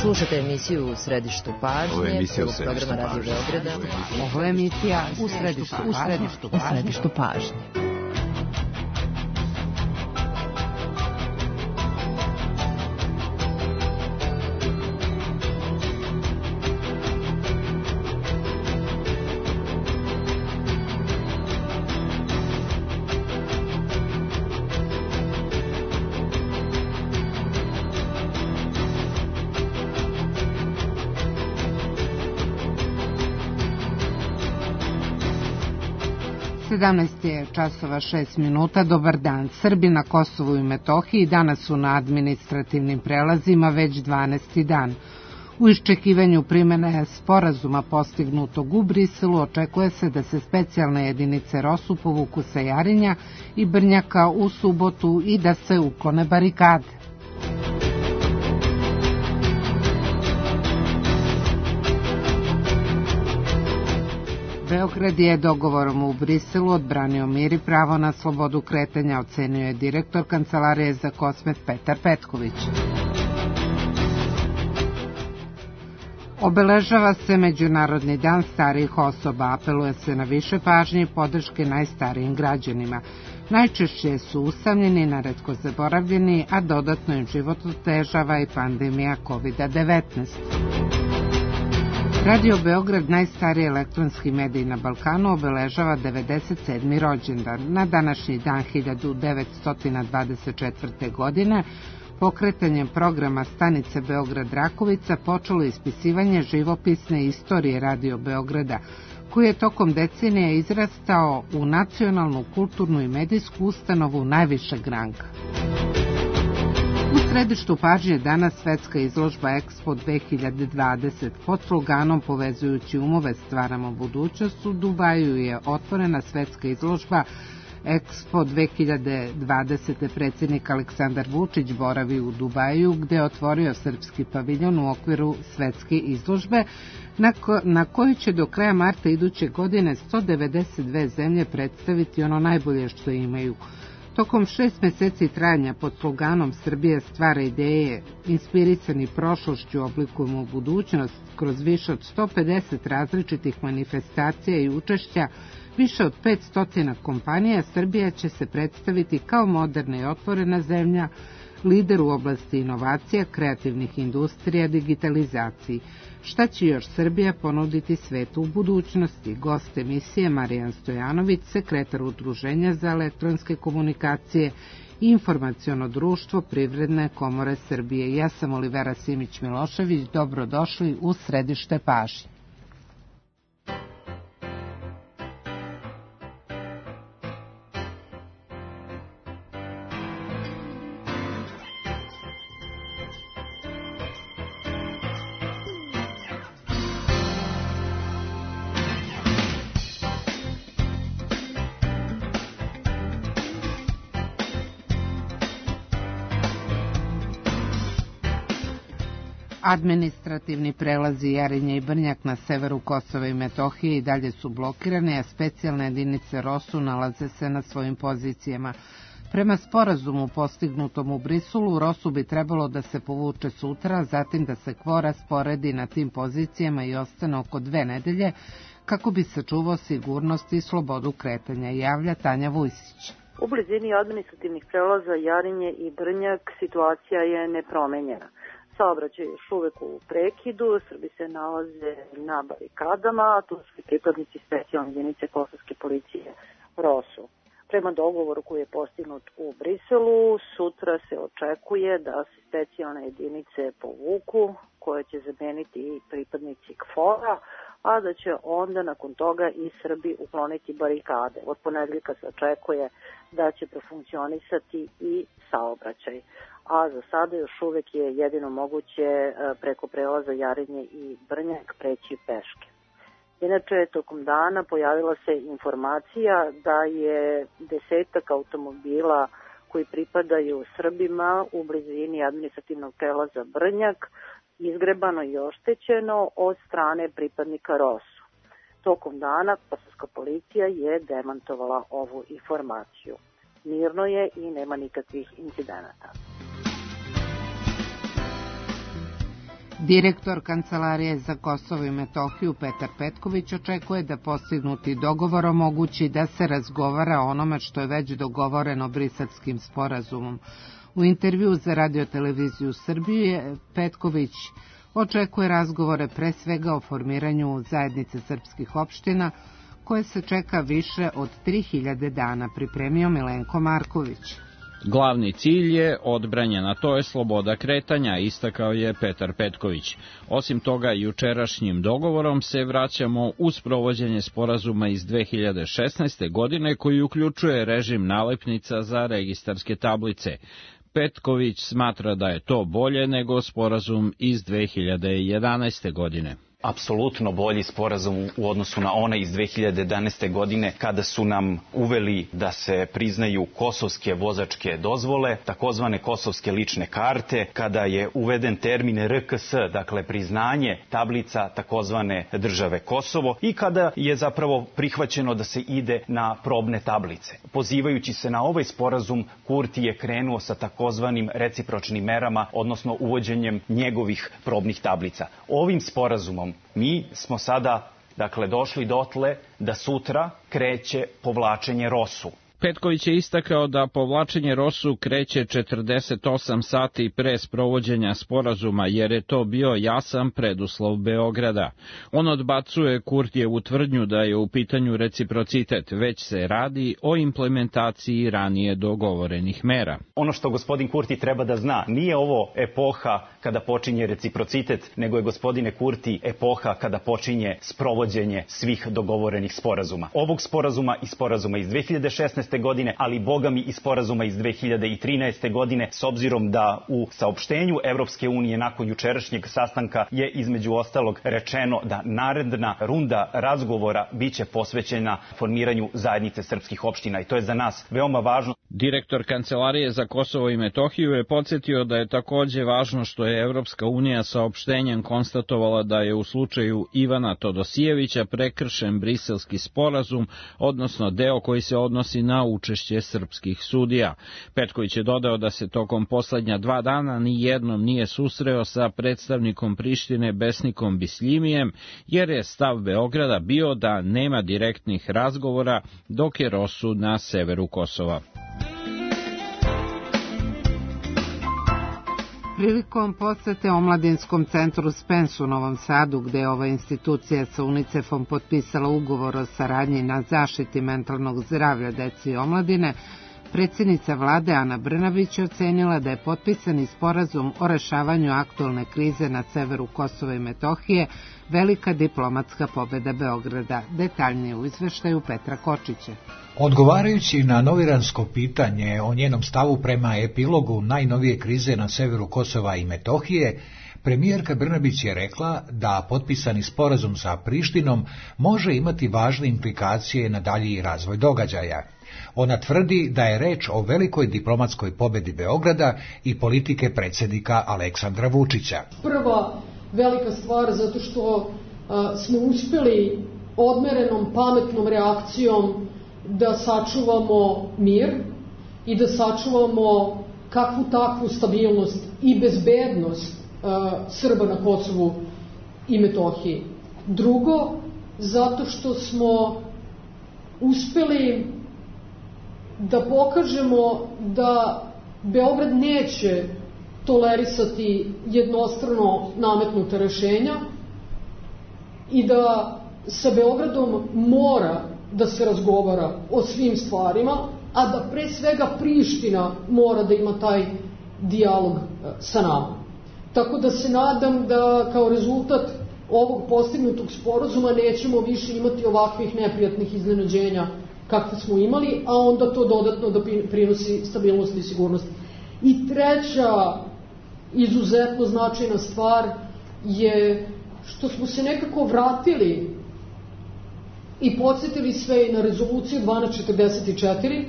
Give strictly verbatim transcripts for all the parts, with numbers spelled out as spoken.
Slušate emisiju U središtu pažnje, prvog programa Radio Beograda. Ovo je emisija U središtu pažnje. U središtu pažnje. sedamnaest je časova šest minuta. Dobar dan. Srbi na Kosovu i Metohiji danas su na administrativnim prelazima već dvanaesti dan. U iščekivanju primene sporazuma postignutog u Briselu očekuje se da se specijalne jedinice ROSU povuku sa Jarinja i Brnjaka u subotu i da se uklone barikade. Beograd je dogovorom u Briselu odbranio mir i pravo na slobodu kretanja, ocenio je direktor Kancelarije za Kosmet Petar Petković. Obeležava se Međunarodni dan starijih osoba, apeluje se na više pažnje i podrške najstarijim građanima. Najčešće su usamljeni, naretko zaboravljeni, a dodatno im život otežava i pandemija kovid devetnaest. Radio Beograd, najstariji elektronski medij na Balkanu, obeležava devedeset sedmi rođendan. Na današnji dan hiljadu devetsto dvadeset četvrte. godine pokretanjem programa stanice Beograd-Rakovica počelo ispisivanje živopisne istorije Radio Beograda, koji je tokom decenija izrastao u nacionalnu, kulturnu i medijsku ustanovu najvišeg ranga. U središtu pažnje danas svetska izložba Expo dve hiljade dvadeset. Pod sloganom Povezujući umove stvaramo budućnost u Dubaju je otvorena svetska izložba Expo dve hiljade dvadeset. Predsjednik Aleksandar Vučić boravi u Dubaju, gde je otvorio srpski paviljon u okviru svetske izložbe, na, ko, na kojoj će do kraja marta iduće godine sto devedeset dve zemlje predstaviti ono najbolje što imaju. Tokom šest meseci trajanja pod sloganom Srbija stvara ideje, inspirisani prošlošću oblikujemo budućnost, kroz više od sto pedeset različitih manifestacija i učešća više od petsto kompanija, Srbija će se predstaviti kao moderna i otvorena zemlja, lider u oblasti inovacija, kreativnih industrija, digitalizaciji. Šta će još Srbija ponuditi svetu u budućnosti? Gost emisije Marijan Stojanović, sekretar Udruženja za elektronske komunikacije i informaciono društvo Privredne komore Srbije. Ja sam Olivera Simić-Milošević, dobrodošli u središte pažnje. Administrativni prelazi Jarinje i Brnjak na severu Kosova i Metohije i dalje su blokirane, a specijalne jedinice ROSU nalaze se na svojim pozicijama. Prema sporazumu postignutom u Briselu, ROSU bi trebalo da se povuče sutra, zatim da se KFOR rasporedi na tim pozicijama i ostane oko dve nedelje, kako bi sačuvao sigurnost i slobodu kretanja, javlja Tanja Vujsić. U blizini administrativnih prelaza Jarinje i Brnjak situacija je nepromenjena. Saobraćaj je još uvek u prekidu, Srbi se nalaze na barikadama, a tu su i pripadnici specijalne jedinice kosovske policije ROSU. Prema dogovoru koji je postignut u Briselu, sutra se očekuje da se specijalne jedinice povuku, koje će zameniti i pripadnici KFOR-a, a da će onda nakon toga i Srbi ukloniti barikade. Od ponedeljka se očekuje da će profunkcionisati i saobraćaj, a za sada još uvek je jedino moguće preko prelaza Jarinje i Brnjak preći peške. Inače, tokom dana pojavila se informacija da je desetak automobila koji pripadaju Srbima u blizini administrativnog prelaza Brnjak izgrebano i oštećeno od strane pripadnika ROSU. Tokom dana kosovska policija je demantovala ovu informaciju. Mirno je i nema nikakvih incidenata. Direktor Kancelarije za Kosovo i Metohiju Petar Petković očekuje da postignuti dogovor omogući da se razgovara o onome što je već dogovoreno Briselskim sporazumom. U intervju za Radio-televiziju Srbije Petković očekuje razgovore pre svega o formiranju zajednice srpskih opština koje se čeka više od tri hiljade dana, pripremio Milenko Marković. Glavni cilj je odbranjena, to je sloboda kretanja, istakao je Petar Petković. Osim toga, jučerašnjim dogovorom se vraćamo u sprovođenje sporazuma iz dve hiljade šesnaeste. godine koji uključuje režim nalepnica za registarske tablice. Petković smatra da je to bolje nego sporazum iz dve hiljade jedanaeste. godine. Apsolutno bolji sporazum u odnosu na onaj iz dve hiljade jedanaeste. godine kada su nam uveli da se priznaju kosovske vozačke dozvole, takozvane kosovske lične karte, kada je uveden termin R K S, dakle priznanje tablica takozvane države Kosovo i kada je zapravo prihvaćeno da se ide na probne tablice. Pozivajući se na ovaj sporazum, Kurti je krenuo sa takozvanim recipročnim merama, odnosno uvođenjem njegovih probnih tablica. Ovim sporazumom mi smo sada, dakle, došli dotle da sutra kreće povlačenje R O S-u. Petković je istakao da povlačenje R O S-u kreće četrdeset osam sati pre sprovođenja sporazuma, jer je to bio jasan preduslov Beograda. On odbacuje Kurtijevu tvrdnju da je u pitanju reciprocitet, već se radi o implementaciji ranije dogovorenih mera. Ono što gospodin Kurti treba da zna, nije ovo epoha kada počinje reciprocitet, nego je, gospodine Kurti, epoha kada počinje sprovođenje svih dogovorenih sporazuma. Ovog sporazuma i sporazuma iz dve hiljade šesnaeste. godine, ali bogami i sporazuma iz dve hiljade trinaeste. godine, s obzirom da u saopštenju Evropske unije nakon jučerašnjeg sastanka je između ostalog rečeno da naredna runda razgovora biće posvećena formiranju zajednice srpskih opština i to je za nas veoma važno. Direktor Kancelarije za Kosovo i Metohiju je podsjetio da je takođe važno što je Evropska unija saopštenjem konstatovala da je u slučaju Ivana Todosijevića prekršen Briselski sporazum, odnosno deo koji se odnosi na učešće srpskih sudija. Petković je dodao da se tokom poslednja dva dana ni jednom nije susreo sa predstavnikom Prištine Besnikom Bislimijem, jer je stav Beograda bio da nema direktnih razgovora dok je R O S-u na severu Kosova. Prilikom posete Omladinskom centru Spens u Novom Sadu, gde je ova institucija sa UNICEF-om potpisala ugovor o saradnji na zaštiti mentalnog zdravlja dece i omladine, predsjednica vlade Ana Brnabić je ocenila da je potpisani sporazum o rešavanju aktualne krize na severu Kosova i Metohije velika diplomatska pobeda Beograda. Detaljnije u izveštaju Petra Kočića. Odgovarajući na novinarsko pitanje o njenom stavu prema epilogu najnovije krize na severu Kosova i Metohije, premijerka Brnabić je rekla da potpisani sporazum sa Prištinom može imati važne implikacije na dalji razvoj događaja. Ona tvrdi da je reč o velikoj diplomatskoj pobedi Beograda i politike predsjednika Aleksandra Vučića. Prva velika stvar zato što a, smo uspjeli odmerenom, pametnom reakcijom da sačuvamo mir i da sačuvamo kakvu takvu stabilnost i bezbednost a, Srba na Kosovu i Metohiji. Drugo, zato što smo uspjeli da pokažemo da Beograd neće tolerisati jednostrano nametnuta rešenja i da sa Beogradom mora da se razgovara o svim stvarima, a da pre svega Priština mora da ima taj dijalog sa nama. Tako da se nadam da kao rezultat ovog postignutog sporazuma nećemo više imati ovakvih neprijatnih iznenađenja kakve smo imali, a onda to dodatno da prinosi stabilnost i sigurnost. I treća izuzetno značajna stvar je što smo se nekako vratili i podsjetili sve i na rezoluciju dvanaest četrdeset četiri,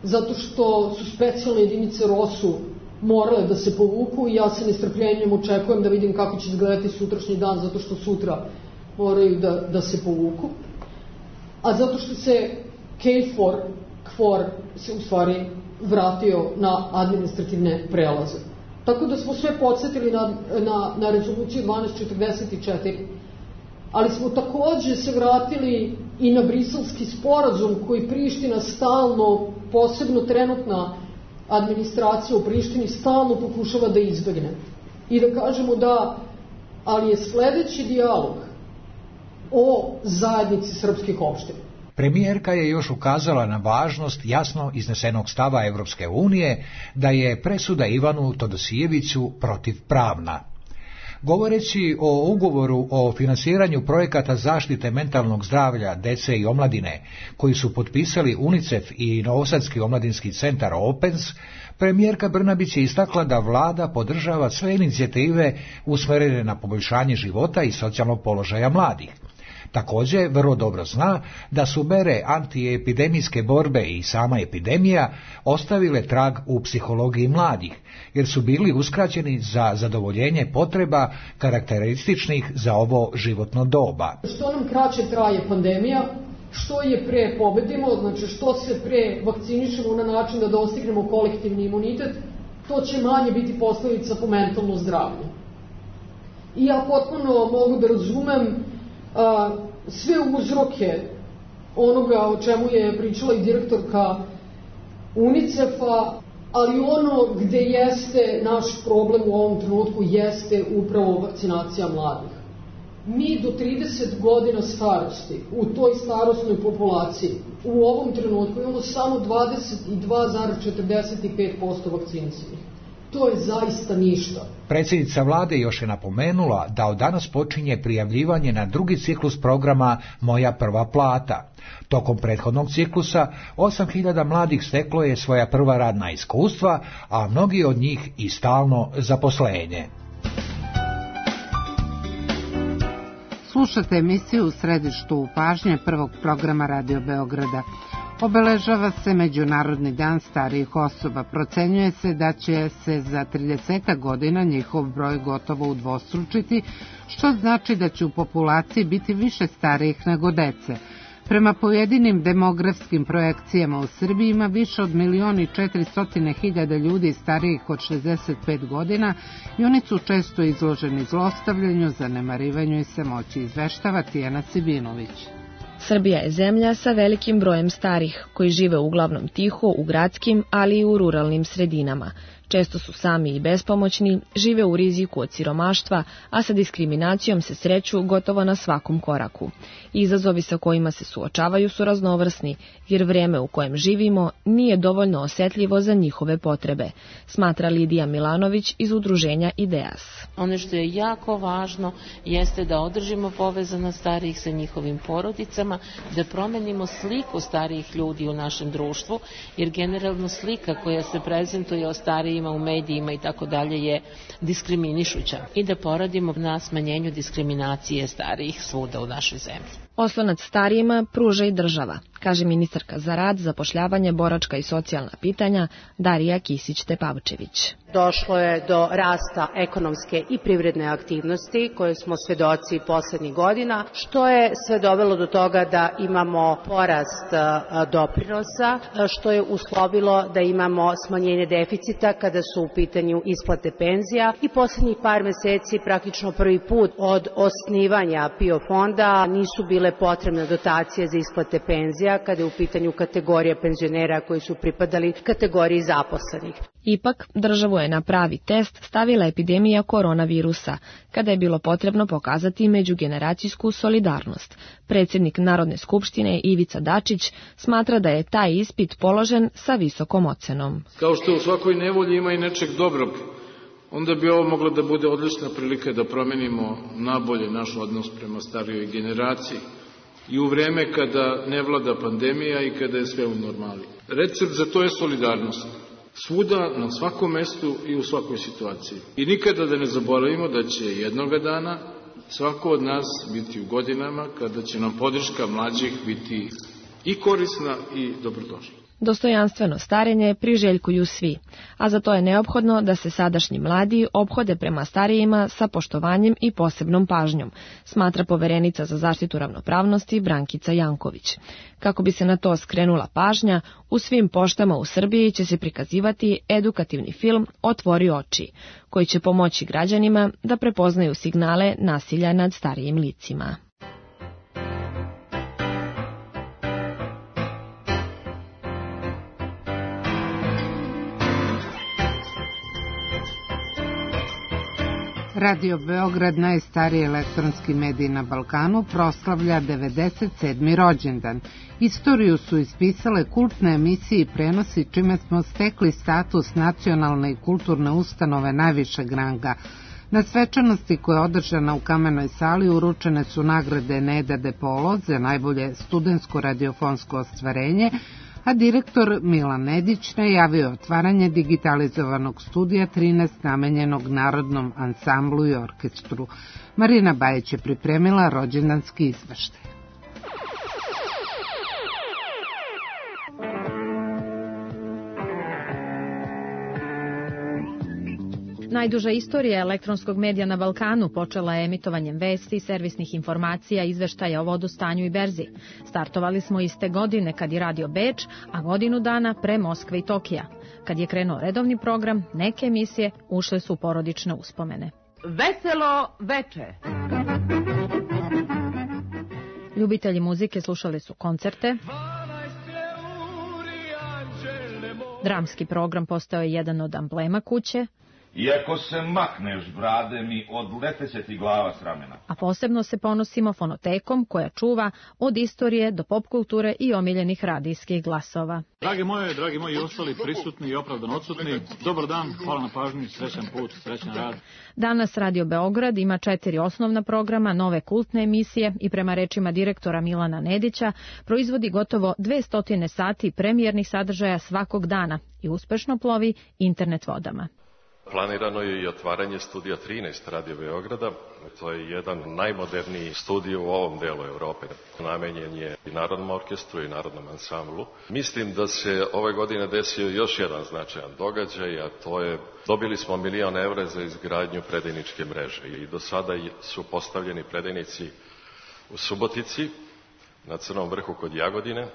zato što su specijalne jedinice R O S-u morale da se povuku i ja se nestrpljenjem očekujem da vidim kako će izgledati sutrašnji dan, zato što sutra moraju da, da se povuku. A zato što se KFOR, KFOR se u stvari vratio na administrativne prelaze. Tako da smo sve podsjetili na, na, na rezoluciju dvanaest četrdeset četiri. Ali smo takođe se vratili i na briselski sporazum koji Priština stalno, posebno trenutna administracija u Prištini, stalno pokušava da izbegne. I da kažemo da, ali je sledeći dijalog o zajednici srpskih opština. Premijerka je još ukazala na važnost jasno iznesenog stava Evropske unije da je presuda Ivanu Todosijeviću protivpravna. Govoreći o ugovoru o finansiranju projekata zaštite mentalnog zdravlja dece i omladine, koji su potpisali UNICEF i Novosadski omladinski centar Opens, premijerka Brnabić je istakla da vlada podržava sve inicijative usmerene na poboljšanje života i socijalnog položaja mladih. Također, vrlo dobro zna da su mere antiepidemijske borbe i sama epidemija ostavile trag u psihologiji mladih, jer su bili uskraćeni za zadovoljenje potreba karakterističnih za ovo životno doba. Što nam kraće traje pandemija, što je pre pobedimo, znači što se pre vakcinišemo na način da dostignemo kolektivni imunitet, to će manje biti posledica po mentalno zdravlje. I ja potpuno mogu da razumem a, sve uzroke onoga o čemu je pričala i direktorka UNICEF-a, ali ono gde jeste naš problem u ovom trenutku jeste upravo vakcinacija mladih. Mi do trideset godina starosti u toj starosnoj populaciji u ovom trenutku imamo samo dvadeset dva zarez četrdeset pet posto vakcinisanih. To je zaista ništa. Predsjednica vlade još je napomenula da od danas počinje prijavljivanje na drugi ciklus programa Moja prva plata. Tokom prethodnog ciklusa osam hiljada mladih steklo je svoja prva radna iskustva, a mnogi od njih i stalno zaposlenje. Slušate emisiju U središtu pažnje prvog programa Radio Beograda. Obeležava se Međunarodni dan starijih osoba. Procenjuje se da će se za trideset godina njihov broj gotovo udvostručiti, što znači da će u populaciji biti više starijih nego dece. Prema pojedinim demografskim projekcijama u Srbiji ima više od milion i četiristotina hiljada ljudi starijih od šezdeset pet godina i oni su često izloženi zlostavljanju, zanemarivanju i samoći, izveštava Tijana Sibinović. Srbija je zemlja sa velikim brojem starih, koji žive uglavnom tiho u gradskim, ali i u ruralnim sredinama. Često su sami i bespomoćni, žive u riziku od siromaštva, a sa diskriminacijom se sreću gotovo na svakom koraku. Izazovi sa kojima se suočavaju su raznovrsni, jer vrijeme u kojem živimo nije dovoljno osjetljivo za njihove potrebe, smatra Lidija Milanović iz udruženja Ideas. Ono što je jako važno jeste da održimo povezanost starijih sa njihovim porodicama, da promenimo sliku starijih ljudi u našem društvu, jer generalno slika koja se prezentuje o starijima u medijima i tako dalje je diskriminišuća i da poradimo na smanjenju diskriminacije starijih svuda u našoj zemlji. Oslonac starijima pruža i država, kaže ministarka za rad, zapošljavanje, boračka i socijalna pitanja Darija Kisić-Tepavčević. Došlo je do rasta ekonomske i privredne aktivnosti koje smo svedoci poslednjih godina, što je sve dovelo do toga da imamo porast doprinosa, što je uslovilo da imamo smanjenje deficita kada su u pitanju isplate penzija i poslednjih par meseci praktično prvi put od osnivanja P I O fonda nisu bile potrebne dotacije za isplate penzija kada je u pitanju kategorija penzionera koji su pripadali kategoriji zaposlenih. Ipak, državu je na pravi test stavila epidemija koronavirusa, kada je bilo potrebno pokazati međugeneracijsku solidarnost. Predsjednik Narodne skupštine Ivica Dačić smatra da je taj ispit položen sa visokom ocenom. Kao što u svakoj nevolji ima i nečeg dobrog, onda bi ovo moglo da bude odlična prilika da promenimo nabolje naš odnos prema starijoj generaciji i u vreme kada ne vlada pandemija i kada je sve u normali. Recept za to je solidarnost. Svuda, na svakom mestu i u svakoj situaciji. I nikada da ne zaboravimo da će jednoga dana svako od nas biti u godinama kada će nam podrška mlađih biti i korisna i dobrodošla. Dostojanstveno starenje priželjkuju svi, a za to je neophodno da se sadašnji mladi ophode prema starijima sa poštovanjem i posebnom pažnjom, smatra poverenica za zaštitu ravnopravnosti Brankica Janković. Kako bi se na to skrenula pažnja, u svim poštama u Srbiji će se prikazivati edukativni film Otvori oči, koji će pomoći građanima da prepoznaju signale nasilja nad starijim licima. Radio Beograd, najstariji elektronski medij na Balkanu, proslavlja devedeset sedmi rođendan. Istoriju su ispisale kultne emisije i prenosi, čime smo stekli status nacionalne i kulturne ustanove najvišeg ranga. Na svečanosti koja je održana u Kamenoj sali uručene su nagrade Neda De Polo za najbolje studentsko radiofonsko ostvarenje, a direktor Milan Nedić najavio otvaranje digitalizovanog studija trinaest namenjenog Narodnom ansamblu i orkestru. Marina Bajić je pripremila rođendanski izveštaj. Najduža istorija elektronskog medija na Balkanu počela je emitovanjem vesti, servisnih informacija, izveštaja o vodostanju i berzi. Startovali smo iste godine kad je radio Beč, a godinu dana pre Moskve i Tokija. Kad je krenuo redovni program, neke emisije ušle su u porodične uspomene. Veselo veče! Ljubitelji muzike slušali su koncerte. Dramski program postao je jedan od amblema kuće. Iako se makneš, brade mi, odleteće ti glava s ramena. A posebno se ponosimo fonotekom koja čuva od istorije do pop kulture i omiljenih radijskih glasova. Drage moje, dragi moji ostali prisutni i opravdano odsutni, dobar dan, hvala na pažnji, srećan put, srećan rad. Danas Radio Beograd ima četiri osnovna programa, nove kultne emisije i prema rečima direktora Milana Nedića proizvodi gotovo dvesta sati premijernih sadržaja svakog dana i uspešno plovi internet vodama. Planirano je i otvaranje studija trinaest Radio Beograda. To je jedan najmoderniji studij u ovom delu Evrope. Namenjen je i Narodnom orkestru i Narodnom ansamblu. Mislim da se ove godine desio još jedan značajan događaj, a to je dobili smo milion evra za izgradnju predajničke mreže. I do sada su postavljeni predajnici u Subotici, na Crnom vrhu kod Jagodine,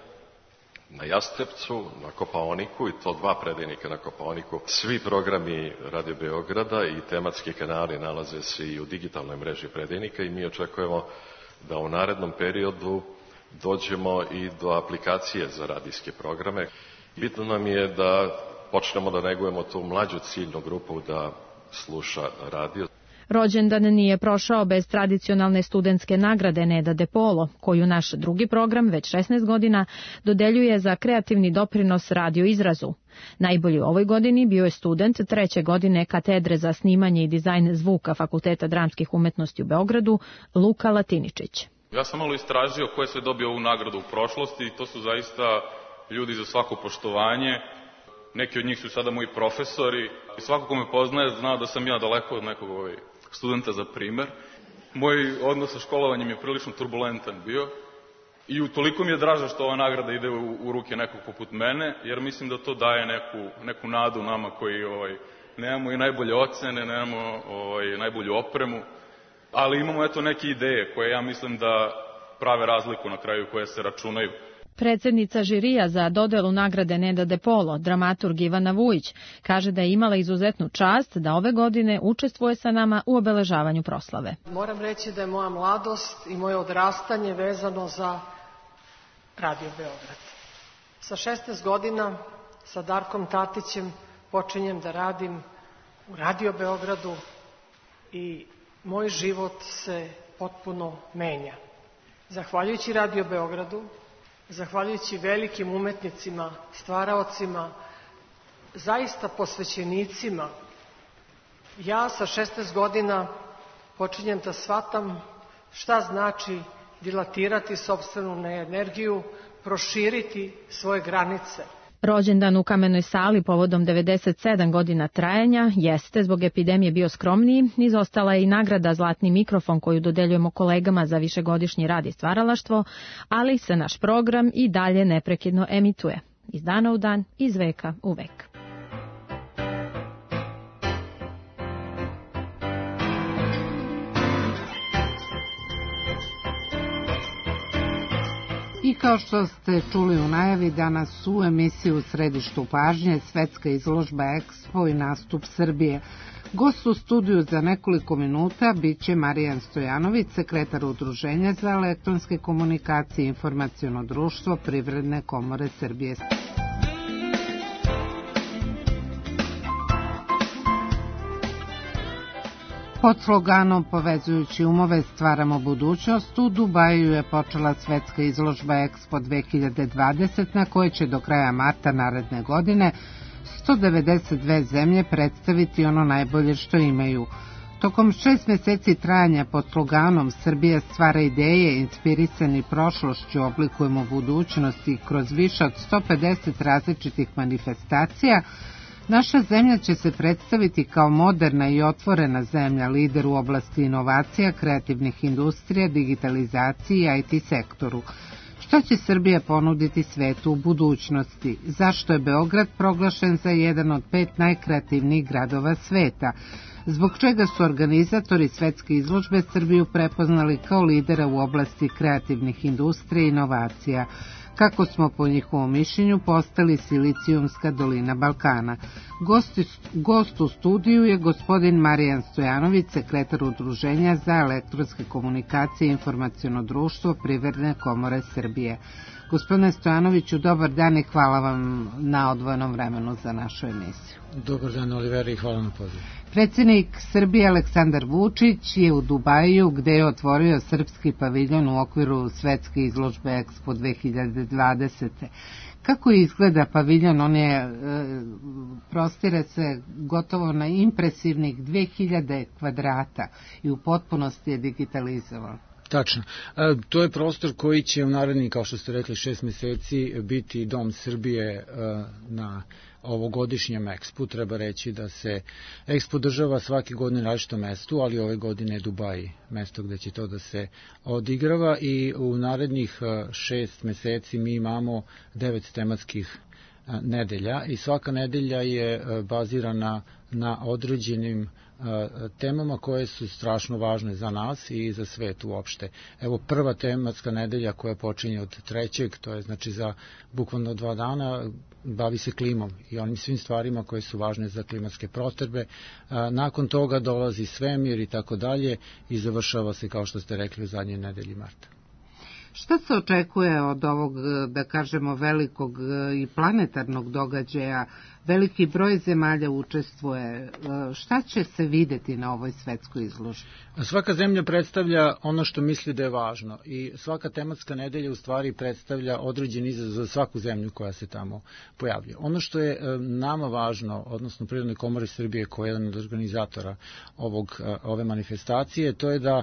na Jastrebcu, na Kopaoniku, i to dva predajnika na Kopaoniku. Svi programi Radio Beograda i tematski kanali nalaze se i u digitalnoj mreži predajnika i mi očekujemo da u narednom periodu dođemo i do aplikacije za radijske programe. Bitno nam je da počnemo da negujemo tu mlađu ciljnu grupu da sluša radio. Rođendan nije prošao bez tradicionalne studentske nagrade Neda De Polo, koju naš drugi program već šesnaest godina dodeljuje za kreativni doprinos radio izrazu. Najbolji u ovoj godini bio je student treće godine katedre za snimanje i dizajn zvuka Fakulteta dramskih umetnosti u Beogradu, Luka Latiničić. Ja sam malo istražio ko je sve dobio ovu nagradu u prošlosti i to su zaista ljudi za svako poštovanje. Neki od njih su sada moji profesori i svako ko me poznaje zna da sam ja daleko od nekog ovaj studenta za primer. Moj odnos sa školovanjem je prilično turbulentan bio i utoliko mi je draže što ova nagrada ide u, u ruke nekog poput mene, jer mislim da to daje neku, neku nadu nama koji ovaj, nemamo i najbolje ocene, nemamo ovaj, najbolju opremu, ali imamo eto neke ideje koje ja mislim da prave razliku na kraju, koje se računaju. Predsednica žirija za dodelu nagrade Neda De Polo, dramaturg Ivana Vujić, kaže da je imala izuzetnu čast da ove godine učestvuje sa nama u obeležavanju proslave. Moram reći da je moja mladost i moje odrastanje vezano za Radio Beograd. Sa šesnaest godina sa Darkom Tatićem počinjem da radim u Radio Beogradu i moj život se potpuno menja. Zahvaljujući Radio Beogradu, zahvaljujući velikim umetnicima, stvaraocima, zaista posvećenicima, ja sa šesnaest godina počinjem da shvatam šta znači dilatirati sopstvenu energiju, proširiti svoje granice. Rođendan u Kamenoj sali povodom devedeset sedam godina trajanja jeste zbog epidemije bio skromniji, izostala je i nagrada Zlatni mikrofon koju dodeljujemo kolegama za višegodišnji rad i stvaralaštvo, ali se naš program i dalje neprekidno emituje. iz dana u dan, iz veka u vek. I kao što ste čuli u najavi, danas u emisiji U središtu pažnje svetska izložba Expo i nastup Srbije. Gost u studiju za nekoliko minuta biće Marijan Stojanović, sekretar Udruženja za elektronske komunikacije i informaciono društvo Privredne komore Srbije. Pod sloganom Povezujući umove stvaramo budućnost, u Dubaju je počela svetska izložba Expo dve hiljade dvadeset, na kojoj će do kraja marta naredne godine sto devedeset dve zemlje predstaviti ono najbolje što imaju. Tokom šest meseci trajanja pod sloganom Srbija stvara ideje, inspirisani prošlošću oblikujemo budućnost i kroz više od sto pedeset različitih manifestacija, naša zemlja će se predstaviti kao moderna i otvorena zemlja, lider u oblasti inovacija, kreativnih industrija, digitalizaciji i I T sektoru. Šta će Srbija ponuditi svetu u budućnosti? Zašto je Beograd proglašen za jedan od pet najkreativnijih gradova sveta? Zbog čega su organizatori svetske izložbe Srbiju prepoznali kao lidera u oblasti kreativnih industrija i inovacija? Kako smo po njihovom mišljenju postali Silicijumska dolina Balkana. Gost, gost u studiju je gospodin Marijan Stojanović, sekretar Udruženja za elektronske komunikacije i informaciono društvo Privredne komore Srbije. Gospodine Stojanoviću, dobar dan i hvala vam na odvojenom vremenu za našu emisiju. Dobar dan, Olivera, i hvala na pozivu. Predsjednik Srbije Aleksandar Vučić je u Dubaju, gde je otvorio srpski paviljon u okviru svetske izložbe Expo dve hiljade dvadeset. Kako izgleda paviljon? On je, e, prostire se gotovo na impresivnih dve hiljade kvadrata i u potpunosti je digitalizovan. Tačno. E, to je prostor koji će u narednih, kao što ste rekli, šest meseci biti Dom Srbije e, na ovogodišnjem Expu. Treba reći da se Expo država svake godine na različitom mestu, ali ove godine je Dubaj mesto gde će to da se odigrava i u narednih šest meseci mi imamo devet tematskih nedelja i svaka nedelja je bazirana na određenim temama koje su strašno važne za nas i za svet uopšte. Evo, prva tematska nedelja koja počinje od trećeg, to je znači za bukvalno dva dana, bavi se klimom i onim svim stvarima koje su važne za klimatske potrebe. Nakon toga dolazi svemir i tako dalje i završava se, kao što ste rekli, u zadnjoj nedelji marta. Šta se očekuje od ovog, da kažemo, velikog i planetarnog događaja? Veliki broj zemalja učestvuje. Šta će se videti na ovoj svetskoj izložbi? Svaka zemlja predstavlja ono što misli da je važno i svaka tematska nedelja u stvari predstavlja određen izazov za svaku zemlju koja se tamo pojavlja. Ono što je nama važno, odnosno Privrednoj komori Srbije, koja je jedan od organizatora ovog, ove manifestacije, to je da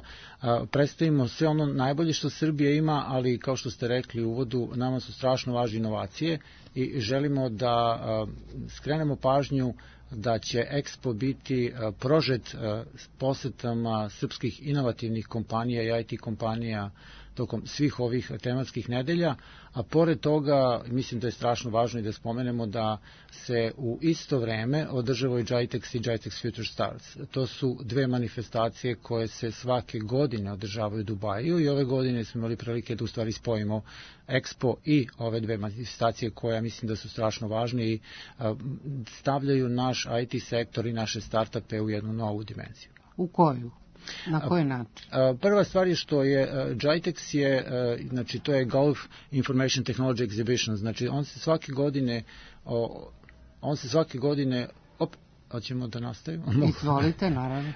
predstavimo sve ono najbolje što Srbija ima, ali kao što ste rekli u uvodu, nama su strašno važne inovacije i želimo da skrenemo pažnju da će Expo biti prožet posetama srpskih inovativnih kompanija i I T kompanija tokom svih ovih tematskih nedelja, a pored toga mislim da je strašno važno i da spomenemo da se u isto vreme održava i GITEX i GITEX Future Stars. To su dve manifestacije koje se svake godine održavaju u Dubaju i ove godine smo imali prilike da u stvari spojimo Expo i ove dve manifestacije koje mislim da su strašno važne i stavljaju naš I T sektor i naše startupe u jednu novu dimenziju. U koju? Na koji način? Prva stvar je što je GITEX je, znači to je Gulf Information Technology Exhibition, znači on se svake godine on se svake godine op, hoćemo da nastavimo? Izvolite, naravno.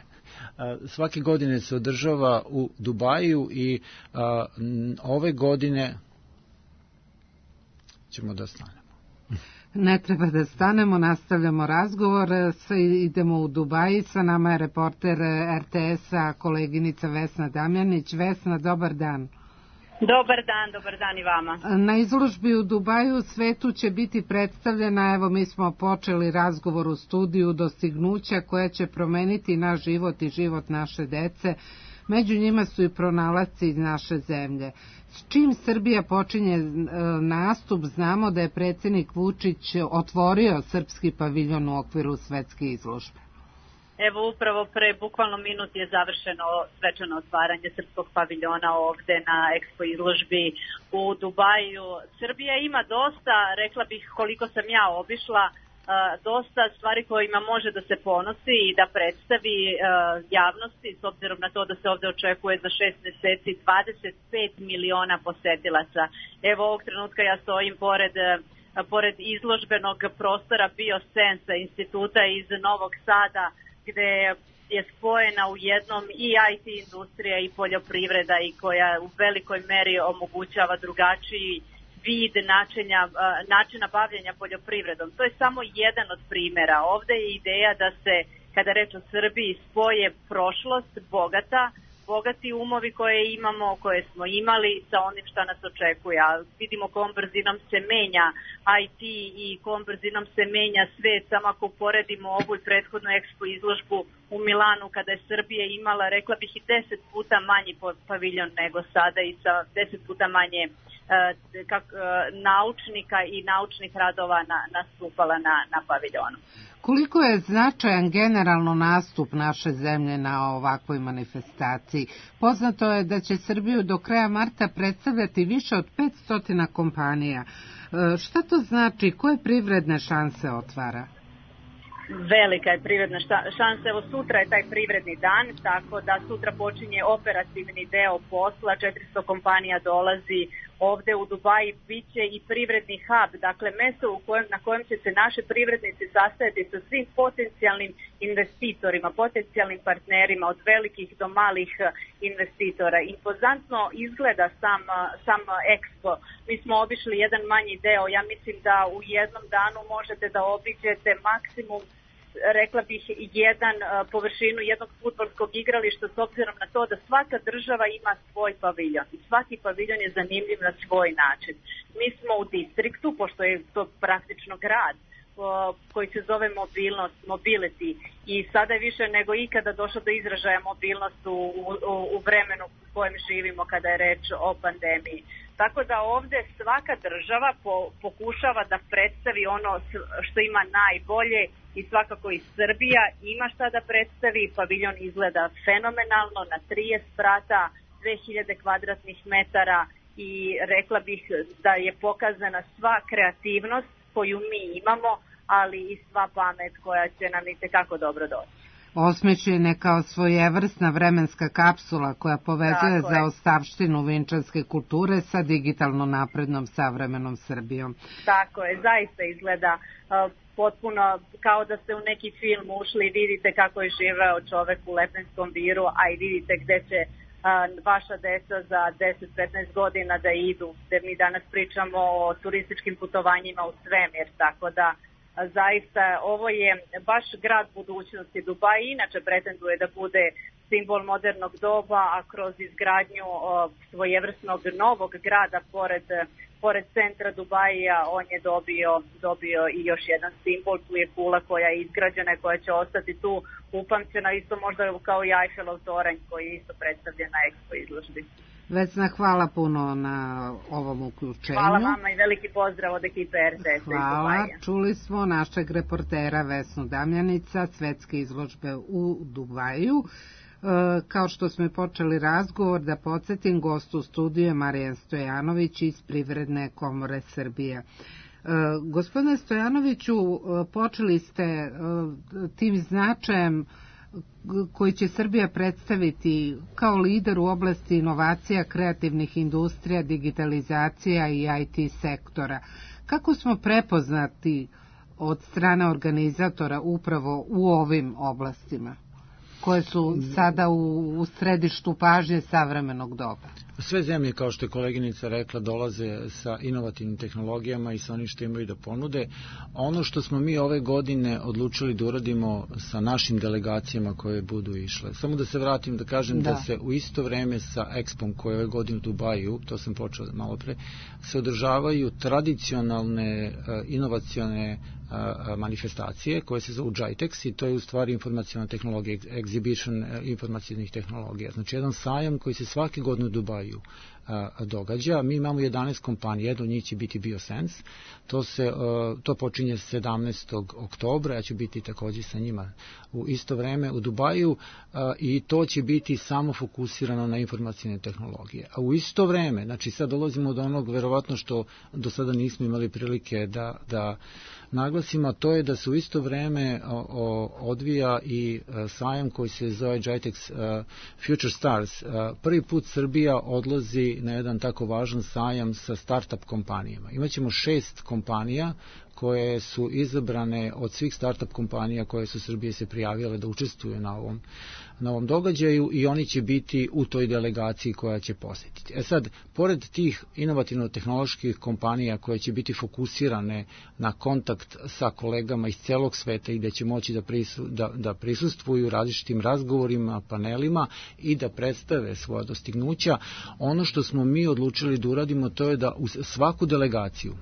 Svake godine se održava u Dubaju i a, ove godine ćemo da stanemo. Ne treba da stanemo, nastavljamo razgovor, idemo u Dubaji, sa nama je reporter R T S-a, koleginica Vesna Damjanić. Vesna, dobar dan. Dobar dan, dobar dan i vama. Na izložbi u Dubaju svetu će biti predstavljena, evo mi smo počeli razgovor u studiju, dostignuća koja će promeniti naš život i život naše dece. Među njima su i pronalasci iz naše zemlje. S čim Srbija počinje nastup, znamo da je predsjednik Vučić otvorio srpski paviljon u okviru svetske izložbe. Evo upravo pre bukvalno minut je završeno svečano otvaranje srpskog paviljona ovde na Expo izložbi u Dubaju. Srbija ima dosta, rekla bih koliko sam ja obišla, dosta stvari kojima može da se ponosi i da predstavi javnosti, s obzirom na to da se ovde očekuje za šest meseci dvadeset pet miliona posetilaca. Evo ovog trenutka ja stojim pored pored izložbenog prostora Biosensa instituta iz Novog Sada, gde je spojena u jednom i I T industrija i poljoprivreda i koja u velikoj meri omogućava drugačiji vid načina, načina bavljenja poljoprivredom. To je samo jedan od primjera. Ovde je ideja da se, kada reč o Srbiji, spoje prošlost bogata, bogati umovi koje imamo, koje smo imali sa onim šta nas očekuje. A vidimo kom brzinom se menja I T i kom brzinom se menja svet. Samo ako uporedimo ovu i prethodnu ekspo izložbu u Milanu, kada je Srbija imala, rekla bih, i deset puta manji paviljon nego sada i sa deset puta manje kak, naučnika i naučnih radova na, nastupala na, na paviljonu. Koliko je značajan generalno nastup naše zemlje na ovakvoj manifestaciji? Poznato je da će Srbiju do kraja marta predstavljati više od petsto kompanija. Šta to znači? Koje privredne šanse otvara? Velika je privredna šansa. Evo sutra je taj privredni dan, tako da sutra počinje operativni deo posla. četiristo kompanija dolazi ovde u Dubaji, bit će i privredni hub, dakle mesto u kojem, na kojem će se naše privrednici sastajati sa svim potencijalnim investitorima, potencijalnim partnerima, od velikih do malih investitora. Impozantno izgleda sam, sam Expo. Mi smo obišli jedan manji deo, ja mislim da u jednom danu možete da obiđete maksimum, rekla bih, jedan površinu jednog fudbalskog igrališta, s obzirom na to da svaka država ima svoj paviljon i svaki paviljon je zanimljiv na svoj način. Mi smo u distriktu, pošto je to praktično grad koji se zove mobilnost, mobility, i sada je više nego ikada došlo do izražaja mobilnost u, u, u vremenu u kojem živimo kada je reč o pandemiji. Tako da ovde svaka država po, pokušava da predstavi ono što ima najbolje i svakako i Srbija ima šta da predstavi. Paviljon izgleda fenomenalno na trideset sprata, dve hiljade kvadratnih metara i rekla bih da je pokazana sva kreativnost koju mi imamo, ali i sva pamet koja će nam i tekako dobro doći. Osmišljena kao svojevrsna vremenska kapsula koja povezuje zaostavštinu vinčanske kulture sa digitalno naprednom savremenom Srbijom. Tako je, zaista izgleda uh, potpuno kao da ste u neki film ušli i vidite kako je živeo čovek u Lepenskom viru, a i vidite gde će uh, vaša deca za deset do petnaest godina da idu, jer mi danas pričamo o turističkim putovanjima u svemir, tako da zaista ovo je baš grad budućnosti. Dubaj inače pretenduje da bude simbol modernog doba, a kroz izgradnju o, svojevrsnog novog grada pored, pored centra Dubaja on je dobio, dobio i još jedan simbol. Tu je kula koja je izgrađena i koja će ostati tu upamćena, isto možda kao i Eiffelov toranj koji je isto predstavljen na Expo izložbi. Vesna, hvala puno na ovom uključenju. Hvala vama i veliki pozdrav od ekipe R T S. Hvala. Čuli smo našeg reportera Vesnu Damjanica, svetske izložbe u Dubaju. E, kao što smo počeli razgovor, da podsjetim, gost u studiju je Marijan Stojanović iz Privredne komore Srbije. E, gospodine Stojanoviću, počeli ste e, tim značajem koji će Srbija predstaviti kao lider u oblasti inovacija, kreativnih industrija, digitalizacija i I T sektora. Kako smo prepoznati od strane organizatora upravo u ovim oblastima, koje su sada u, u središtu pažnje savremenog doba? Sve zemlje, kao što je koleginica rekla, dolaze sa inovativnim tehnologijama i sa onim što imaju da ponude. Ono što smo mi ove godine odlučili da uradimo sa našim delegacijama koje budu išle. Samo da se vratim da kažem da, da se u isto vreme sa Expom koje je ove godine u Dubaju, to sam počeo malo pre, se održavaju tradicionalne inovacione manifestacije koje se zovu JITEX i to je u stvari informacijna tehnologija, exhibition informacijnih tehnologija. Znači jedan sajam koji se svake godine u Dubaju događa. Mi imamo jedanaest kompanija, jedna od njih će biti Biosense. To, se, to počinje sedamnaestog oktobra, ja ću biti takođe sa njima u isto vreme u Dubaju i to će biti samo fokusirano na informacijne tehnologije. A u isto vreme, znači sad dolazimo do onog verovatno što do sada nismo imali prilike da, da naglasimo, to je da se u isto vreme o, o, odvija i a, sajam koji se zove JITEX a, Future Stars. A, prvi put Srbija odlazi na jedan tako važan sajam sa startup kompanijama. Imaćemo šest kompanija koje su izabrane od svih startup kompanija koje su Srbije se prijavile da učestvuju na ovom, na ovom događaju i oni će biti u toj delegaciji koja će posjetiti. E sad, pored tih inovativno-tehnoloških kompanija koje će biti fokusirane na kontakt sa kolegama iz celog sveta i da će moći da, prisu, da, da prisustvuju različitim razgovorima, panelima i da predstave svoja dostignuća, ono što smo mi odlučili da uradimo to je da u svaku delegaciju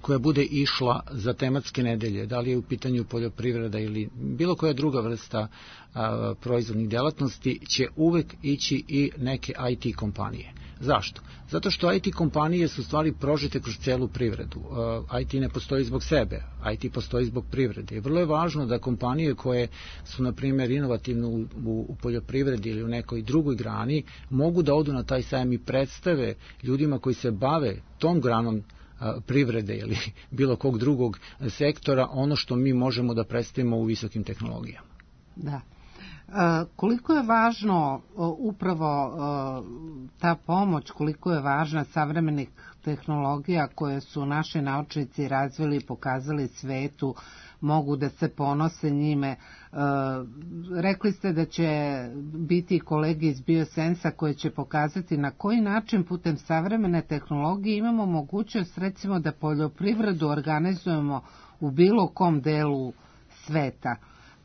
koja bude išla za tematske nedelje, da li je u pitanju poljoprivreda ili bilo koja druga vrsta a, proizvodnih delatnosti, će uvek ići i neke I T kompanije. Zašto? Zato što I T kompanije su stvari prožete kroz celu privredu. I T ne postoji zbog sebe, I T postoji zbog privrede. I vrlo je važno da kompanije koje su, na primjer, inovativne u, u, u poljoprivredi ili u nekoj drugoj grani, mogu da odu na taj sajam i predstave ljudima koji se bave tom granom privrede ili bilo kog drugog sektora ono što mi možemo da predstavimo u visokim tehnologijama. Da. E, koliko je važno upravo e, ta pomoć, koliko je važna savremenih tehnologija koje su naši naučnici razvili i pokazali svetu, mogu da se ponose njime. E, rekli ste da će biti kolege iz Biosensa koje će pokazati na koji način putem savremene tehnologije imamo mogućnost recimo da poljoprivredu organizujemo u bilo kom delu sveta.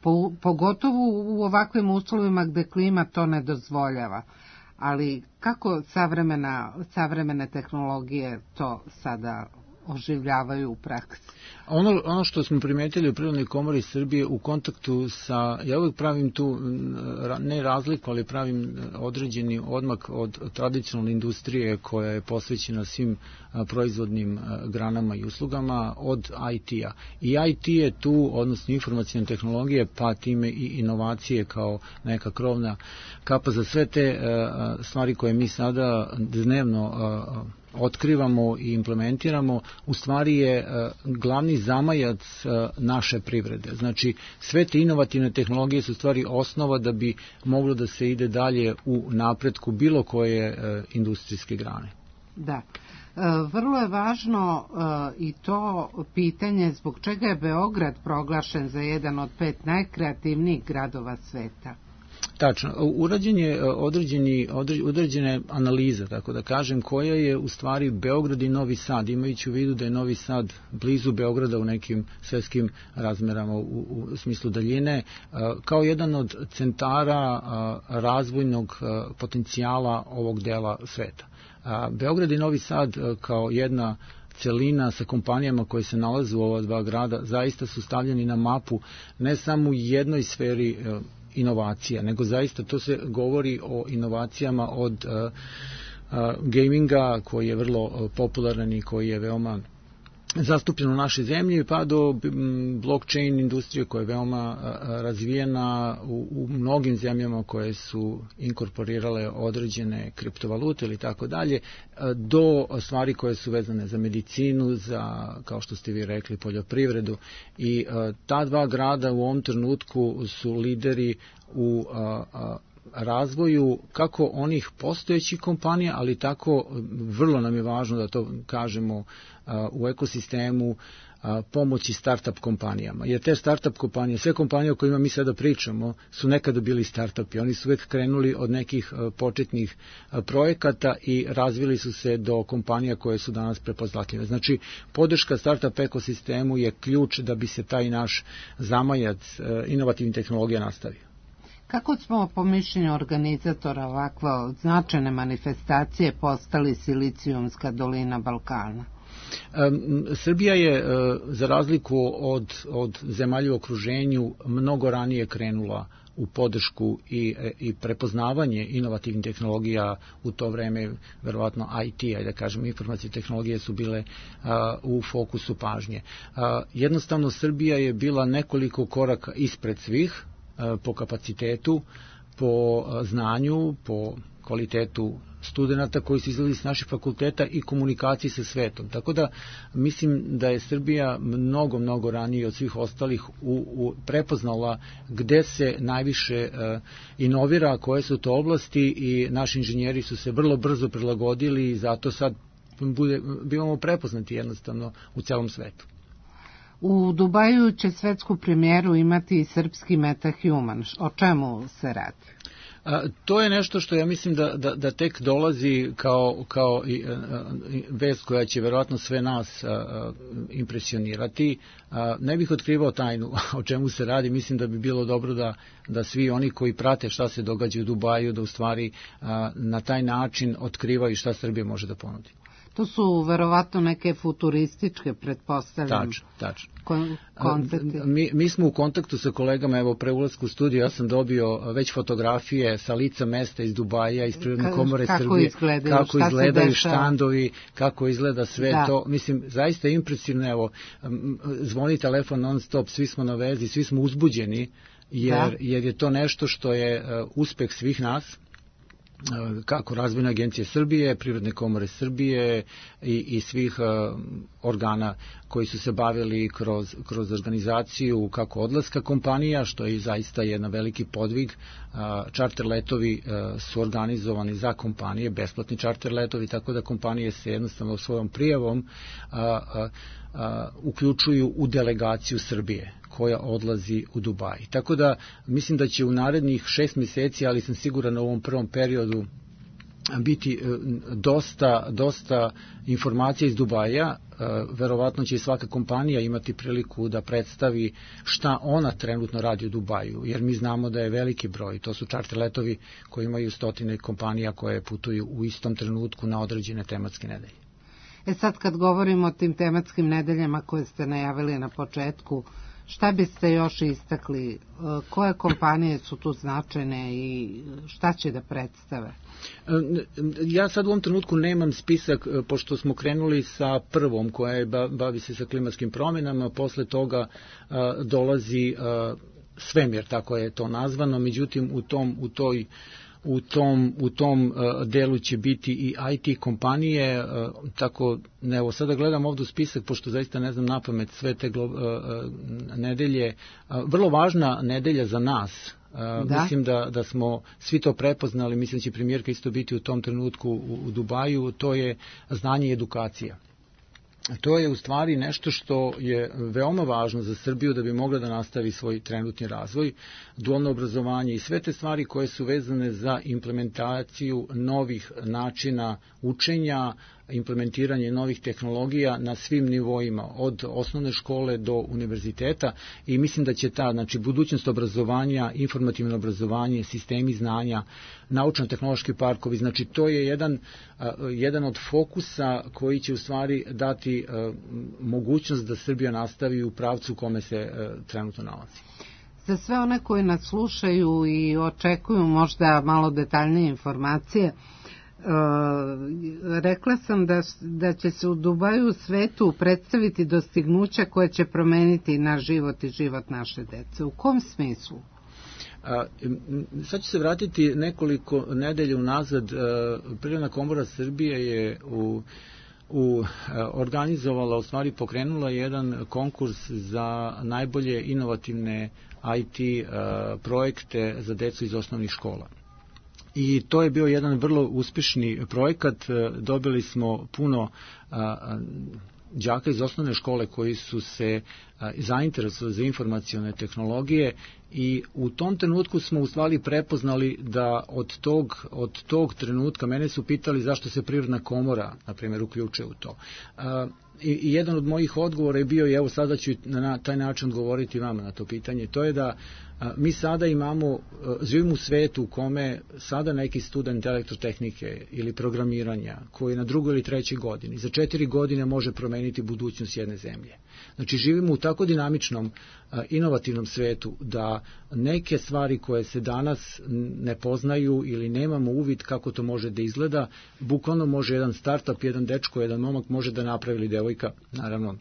Po, pogotovo u ovakvim uslovima gde klima to ne dozvoljava. Ali kako savremena, savremene tehnologije to sada oživljavaju u praksi? Ono, ono što smo primetili u Privrednoj komori Srbije u kontaktu sa, ja uvijek pravim tu ne razliku, ali pravim određeni odmak od tradicionalne industrije koja je posvećena svim proizvodnim granama i uslugama od I T-a. I I T je tu, odnosno informacijne tehnologije, pa time i inovacije kao neka krovna kapa za sve te stvari koje mi sada dnevno otkrivamo i implementiramo, u stvari je glavni zamajac naše privrede. Znači, sve te inovativne tehnologije su u stvari osnova da bi moglo da se ide dalje u napretku bilo koje industrijske grane. Da. Vrlo je važno i to pitanje zbog čega je Beograd proglašen za jedan od pet najkreativnijih gradova sveta. Tačno. Urađen je određeni, određene analize, tako da kažem, koja je u stvari Beograd i Novi Sad, imajući u vidu da je Novi Sad blizu Beograda u nekim svetskim razmerama u, u smislu daljine, kao jedan od centara razvojnog potencijala ovog dela sveta. Beograd i Novi Sad kao jedna celina sa kompanijama koje se nalaze u ova dva grada zaista su stavljeni na mapu ne samo u jednoj sferi inovacija, nego zaista to se govori o inovacijama od uh, uh, gaminga koji je vrlo uh, popularan i koji je veoma zastupljen u našoj zemlji, pa do blockchain industrije koja je veoma razvijena u, u mnogim zemljama koje su inkorporirale određene kriptovalute ili tako dalje, do stvari koje su vezane za medicinu, za, kao što ste vi rekli, poljoprivredu. I ta dva grada u ovom trenutku su lideri u a, a, razvoju kako onih postojećih kompanija, ali tako vrlo nam je važno da to kažemo u ekosistemu pomoći start-up kompanijama. Jer te start-up kompanije, sve kompanije o kojima mi sada pričamo, su nekada bili start-upi. Oni su uvek krenuli od nekih početnih projekata i razvili su se do kompanija koje su danas prepoznatljive. Znači, podrška start-up ekosistemu je ključ da bi se taj naš zamajac inovativnih tehnologija nastavio. Kako smo, po mišljenju organizatora ovakve značajne manifestacije, postali Silicijumska dolina Balkana? Srbija je, za razliku od, od zemalja u okruženju, mnogo ranije krenula u podršku i, i prepoznavanje inovativnih tehnologija. U to vreme, verovatno I T, ajde da kažem, informacije tehnologije su bile a, u fokusu pažnje. A, jednostavno, Srbija je bila nekoliko koraka ispred svih a, po kapacitetu, po a, znanju, po kvalitetu studenta koji su izlazili s naših fakulteta i komunikaciji sa svetom. Tako da mislim da je Srbija mnogo, mnogo ranije od svih ostalih u, u prepoznala gde se najviše uh, inovira, koje su to oblasti, i naši inženjeri su se vrlo brzo prilagodili i zato sad bude, bivamo prepoznati jednostavno u celom svetu. U Dubaju će svetsku premijeru imati i srpski MetaHuman. O čemu se radi? A, to je nešto što ja mislim da, da, da tek dolazi kao, kao i, a, vest koja će verovatno sve nas a, a, impresionirati. A, ne bih otkrivao tajnu o čemu se radi. Mislim da bi bilo dobro da, da svi oni koji prate šta se događa u Dubaju, da u stvari a, na taj način otkrivaju šta Srbija može da ponudi. To su verovatno neke futurističke, pretpostavljam, tačno, tačno. Kon- koncepti. Mi, mi smo u kontaktu sa kolegama, evo pre ulasku u studiju ja sam dobio već fotografije sa lica mesta iz Dubaja, iz Privredne komore kako Srbije, izgledaju, kako izgledaju štandovi, kako izgleda sve da. To. Mislim, zaista je impresivno, evo, zvoni telefon non stop, svi smo na vezi, svi smo uzbuđeni, jer, da. jer je to nešto što je uh, uspeh svih nas, kako Razvojne agencije Srbije, Privredne komore Srbije i, i svih uh, organa koji su se bavili kroz, kroz organizaciju kako odlaska kompanija, što je zaista jedan veliki podvig. Uh, čarter letovi uh, su organizovani za kompanije, besplatni čarter letovi, tako da kompanije se jednostavno svojom prijavom uh, uh, uh, uključuju u delegaciju Srbije koja odlazi u Dubaj. Tako da mislim da će u narednih šest mjeseci, ali sam siguran u ovom prvom periodu, biti dosta, dosta informacija iz Dubaja. Verovatno će i svaka kompanija imati priliku da predstavi šta ona trenutno radi u Dubaju, jer mi znamo da je veliki broj, to su čarter letovi koji imaju stotine kompanija koje putuju u istom trenutku na određene tematske nedelje. E sad kad govorimo o tim tematskim nedeljama koje ste najavili na početku, šta biste još istakli? Koje kompanije su tu značajne i šta će da predstave? Ja sad u ovom trenutku nemam spisak, pošto smo krenuli sa prvom koja je, bavi se sa klimatskim promjenama, posle toga dolazi svemir, tako je to nazvano, međutim u tom, u toj U tom, u tom uh, delu će biti i I T kompanije, uh, tako, ne, evo sada gledam ovdje u spisak, pošto zaista ne znam napamet sve te glo, uh, uh, nedelje. Uh, vrlo važna nedelja za nas. Uh, da. Mislim da, da smo svi to prepoznali, mislim da će premijerka isto biti u tom trenutku u, u Dubaju, to je znanje i edukacija. To je u stvari nešto što je veoma važno za Srbiju da bi mogla da nastavi svoj trenutni razvoj, dualno obrazovanje i sve te stvari koje su vezane za implementaciju novih načina učenja, implementiranje novih tehnologija na svim nivoima, od osnovne škole do univerziteta, i mislim da će ta, znači, budućnost obrazovanja, informativno obrazovanje, sistemi znanja, naučno-tehnološki parkovi, znači to je jedan, jedan od fokusa koji će u stvari dati mogućnost da Srbija nastavi u pravcu u kome se trenutno nalazi. Za sve one koji nas slušaju i očekuju možda malo detaljnije informacije, Uh, rekla sam da, da će se u Dubaju u svetu predstaviti dostignuća koje će promeniti naš život i život naše dece. U kom smislu? A, sad ću se vratiti nekoliko nedelja unazad. Privredna komora Srbije je u u organizovala, u stvari pokrenula jedan konkurs za najbolje inovativne I T a, projekte za decu iz osnovnih škola. I to je bio jedan vrlo uspešni projekat, dobili smo puno a, đaka iz osnovne škole koji su se zainteresovali za informacione tehnologije i u tom trenutku smo u stvari prepoznali da od tog, od tog trenutka mene su pitali zašto se Privredna komora, na primjer, uključuje u to. I, i jedan od mojih odgovora je bio, i evo sada ću na taj način odgovoriti vama na to pitanje, to je da a, mi sada imamo, a, živimo u svetu u kome sada neki student elektrotehnike ili programiranja koji je na drugoj ili trećoj godini za četiri godine može promeniti budućnost jedne zemlje. Znači živimo u tako dinamičnom, a, inovativnom svetu da neke stvari koje se danas ne poznaju ili nemamo uvid kako to može da izgleda, bukvalno može jedan startup, jedan dečko, jedan momak može da napravi ili devojka, naravno,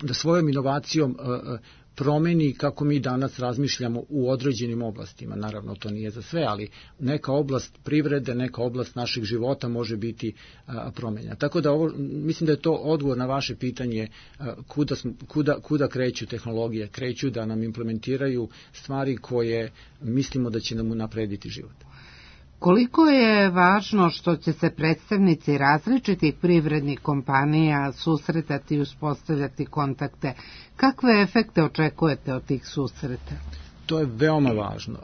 da svojom inovacijom a, promeni kako mi danas razmišljamo u određenim oblastima. Naravno, to nije za sve, ali neka oblast privrede, neka oblast našeg života može biti a, promenjena. Tako da ovo, mislim da je to odgovor na vaše pitanje a, kuda, kuda, kuda kreću tehnologije. Kreću da nam implementiraju stvari koje mislimo da će nam unaprediti život. Koliko je važno što će se predstavnici različitih privrednih kompanija susretati i uspostavljati kontakte? Kakve efekte očekujete od tih susreta? To je veoma važno.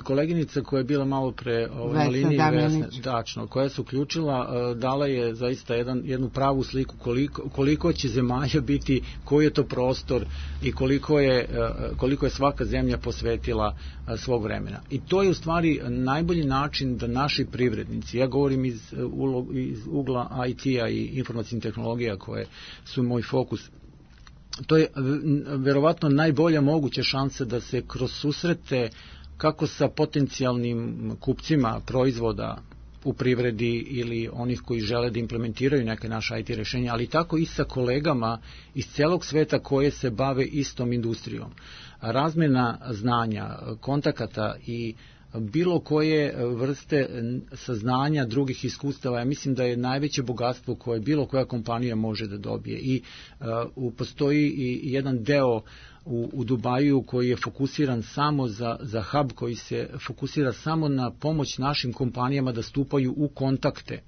Koleginica koja je bila malo pre na liniji, Vesna Dačno, koja se uključila, dala je zaista jedan, jednu pravu sliku koliko, koliko će zemalja biti, koji je to prostor i koliko je, koliko je svaka zemlja posvetila svog vremena. I to je u stvari najbolji način da naši privrednici, ja govorim iz, iz ugla I T-a i informacijnih tehnologija koje su moj fokus, to je verovatno najbolja moguća šansa da se kroz susrete kako sa potencijalnim kupcima proizvoda u privredi ili onih koji žele da implementiraju neke naše I T rešenja, ali tako i sa kolegama iz celog sveta koje se bave istom industrijom. Razmena znanja, kontakata i bilo koje vrste saznanja drugih iskustava, ja mislim da je najveće bogatstvo koje bilo koja kompanija može da dobije. I uh, postoji i jedan deo u, u Dubaju koji je fokusiran samo za, za hub, koji se fokusira samo na pomoć našim kompanijama da stupaju u kontakte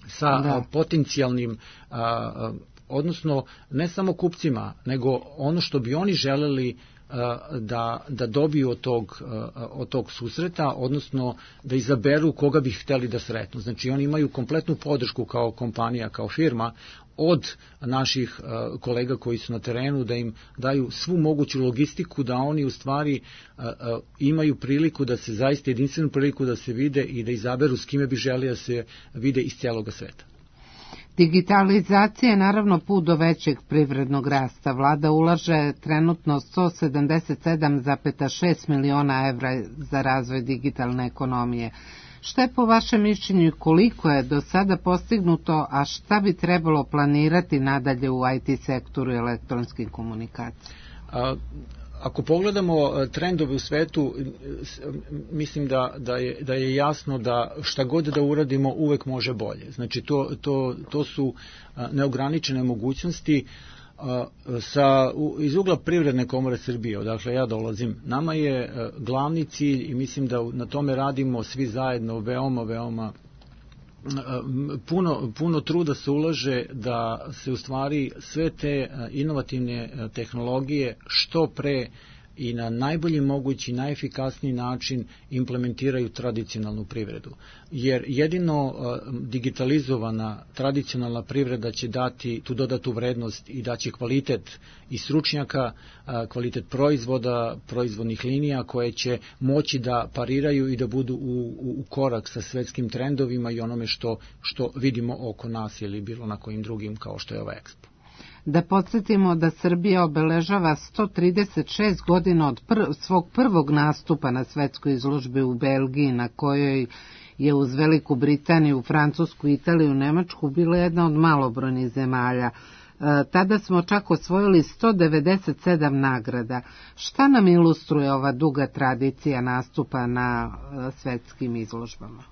sa da. potencijalnim uh, odnosno ne samo kupcima, nego ono što bi oni želeli da, da dobiju od tog, od tog susreta, odnosno da izaberu koga bi hteli da sretnu. Znači oni imaju kompletnu podršku kao kompanija, kao firma, od naših kolega koji su na terenu, da im daju svu moguću logistiku, da oni u stvari imaju priliku da se zaista jedinstvenu priliku da se vide i da izaberu s kime bi želi da se vide iz cijelog sveta. Digitalizacija je naravno put do većeg privrednog rasta. Vlada ulaže trenutno sto sedamdeset sedam zarez šest miliona evra za razvoj digitalne ekonomije. Šta je po vašem mišljenju i koliko je do sada postignuto, a šta bi trebalo planirati nadalje u I T sektoru i elektronskim komunikacijama? A... Ako pogledamo trendove u svetu, mislim da, da, je, da je jasno da šta god da uradimo uvek može bolje. Znači to, to, to su neograničene mogućnosti. Sa, iz ugla Privredne komore Srbije, odakle ja dolazim, nama je glavni cilj i mislim da na tome radimo svi zajedno veoma, veoma puno, puno truda se ulaže da se u stvari sve te inovativne tehnologije što pre i na najbolji mogući, najefikasniji način implementiraju tradicionalnu privredu. Jer jedino digitalizovana tradicionalna privreda će dati tu dodatu vrednost i daće kvalitet i stručnjaka, kvalitet proizvoda, proizvodnih linija koje će moći da pariraju i da budu u, u korak sa svetskim trendovima i onome što, što vidimo oko nas ili bilo na kojim drugim kao što je ova Expo. Da podsjetimo da Srbija obeležava sto trideset šest godina od pr- svog prvog nastupa na svetskoj izložbi u Belgiji, na kojoj je uz Veliku Britaniju, Francusku, Italiju, Nemačku bila jedna od malobrojnih zemalja. E, tada smo čak osvojili sto devedeset sedam nagrada. Šta nam ilustruje ova duga tradicija nastupa na e, svetskim izložbama?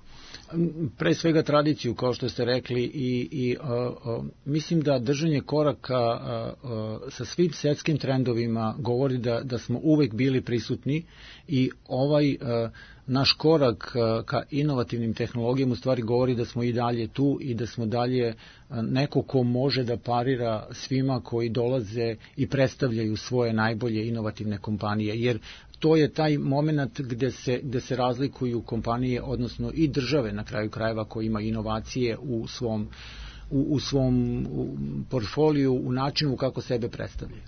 Pre svega tradiciju, kao što ste rekli, i, i a, a, mislim da držanje koraka a, a, sa svim svetskim trendovima govori da, da smo uvek bili prisutni i ovaj a, naš korak ka inovativnim tehnologijama u stvari govori da smo i dalje tu i da smo dalje neko ko može da parira svima koji dolaze i predstavljaju svoje najbolje inovativne kompanije, jer to je taj moment gde se, gde se razlikuju kompanije, odnosno i države na kraju krajeva koji ima inovacije u svom, u, u svom u portfoliju, u načinu kako sebe predstavljaju.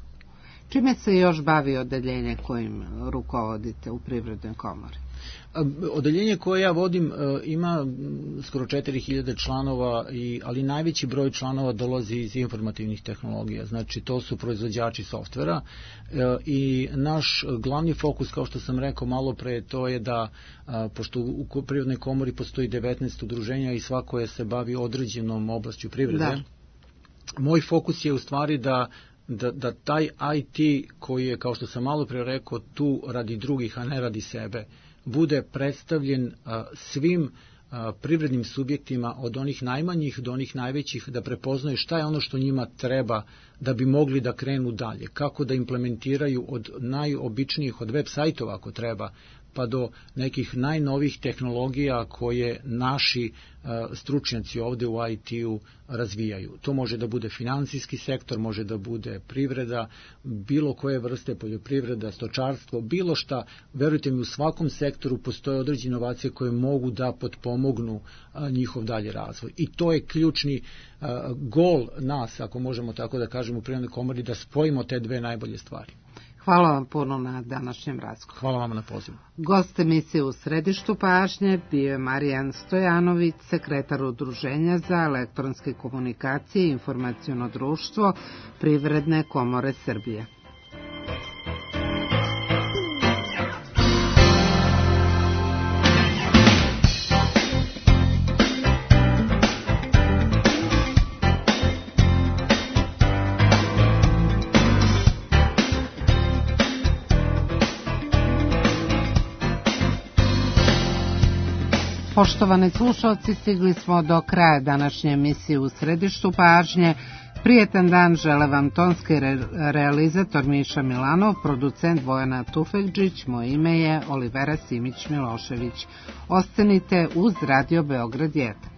Čime se još bavi odeljenje kojim rukovodite u Privrednoj komori? Odeljenje koje ja vodim ima skoro četiri hiljade članova, i, ali najveći broj članova dolazi iz informativnih tehnologija, znači to su proizvođači softvera i naš glavni fokus, kao što sam rekao malo pre, to je da, pošto u Privrednoj komori postoji devetnaest udruženja i svako je se bavi određenom oblašću privrede, da. Moj fokus je u stvari da Da, da taj I T koji je, kao što sam malo pre rekao, tu radi drugih, a ne radi sebe, bude predstavljen a, svim a, privrednim subjektima od onih najmanjih do onih najvećih, da prepoznaju šta je ono što njima treba da bi mogli da krenu dalje, kako da implementiraju od najobičnijih, od web sajtova ako treba, pa do nekih najnovih tehnologija koje naši uh, stručnjaci ovde u I T-u razvijaju. To može da bude finansijski sektor, može da bude privreda, bilo koje vrste poljoprivreda, stočarstvo, bilo šta. Verujte mi, u svakom sektoru postoje određene inovacije koje mogu da potpomognu uh, njihov dalje razvoj. I to je ključni uh, gol nas, ako možemo tako da kažemo, u Privrednoj komori, da spojimo te dve najbolje stvari. Hvala vam puno na današnjem razgovoru. Hvala vam na pozivu. Gost emisije U središtu pažnje bio je Marijan Stojanović, sekretar Udruženja za elektronske komunikacije i informaciono društvo Privredne komore Srbije. Poštovani slušalci, stigli smo do kraja današnje emisije U središtu pažnje. Prijetan dan žele vam tonski re- realizator Miša Milanov, producent Bojana Tufekđić, moje ime je Olivera Simić-Milošević. Ostanite uz Radio Beograd jedan.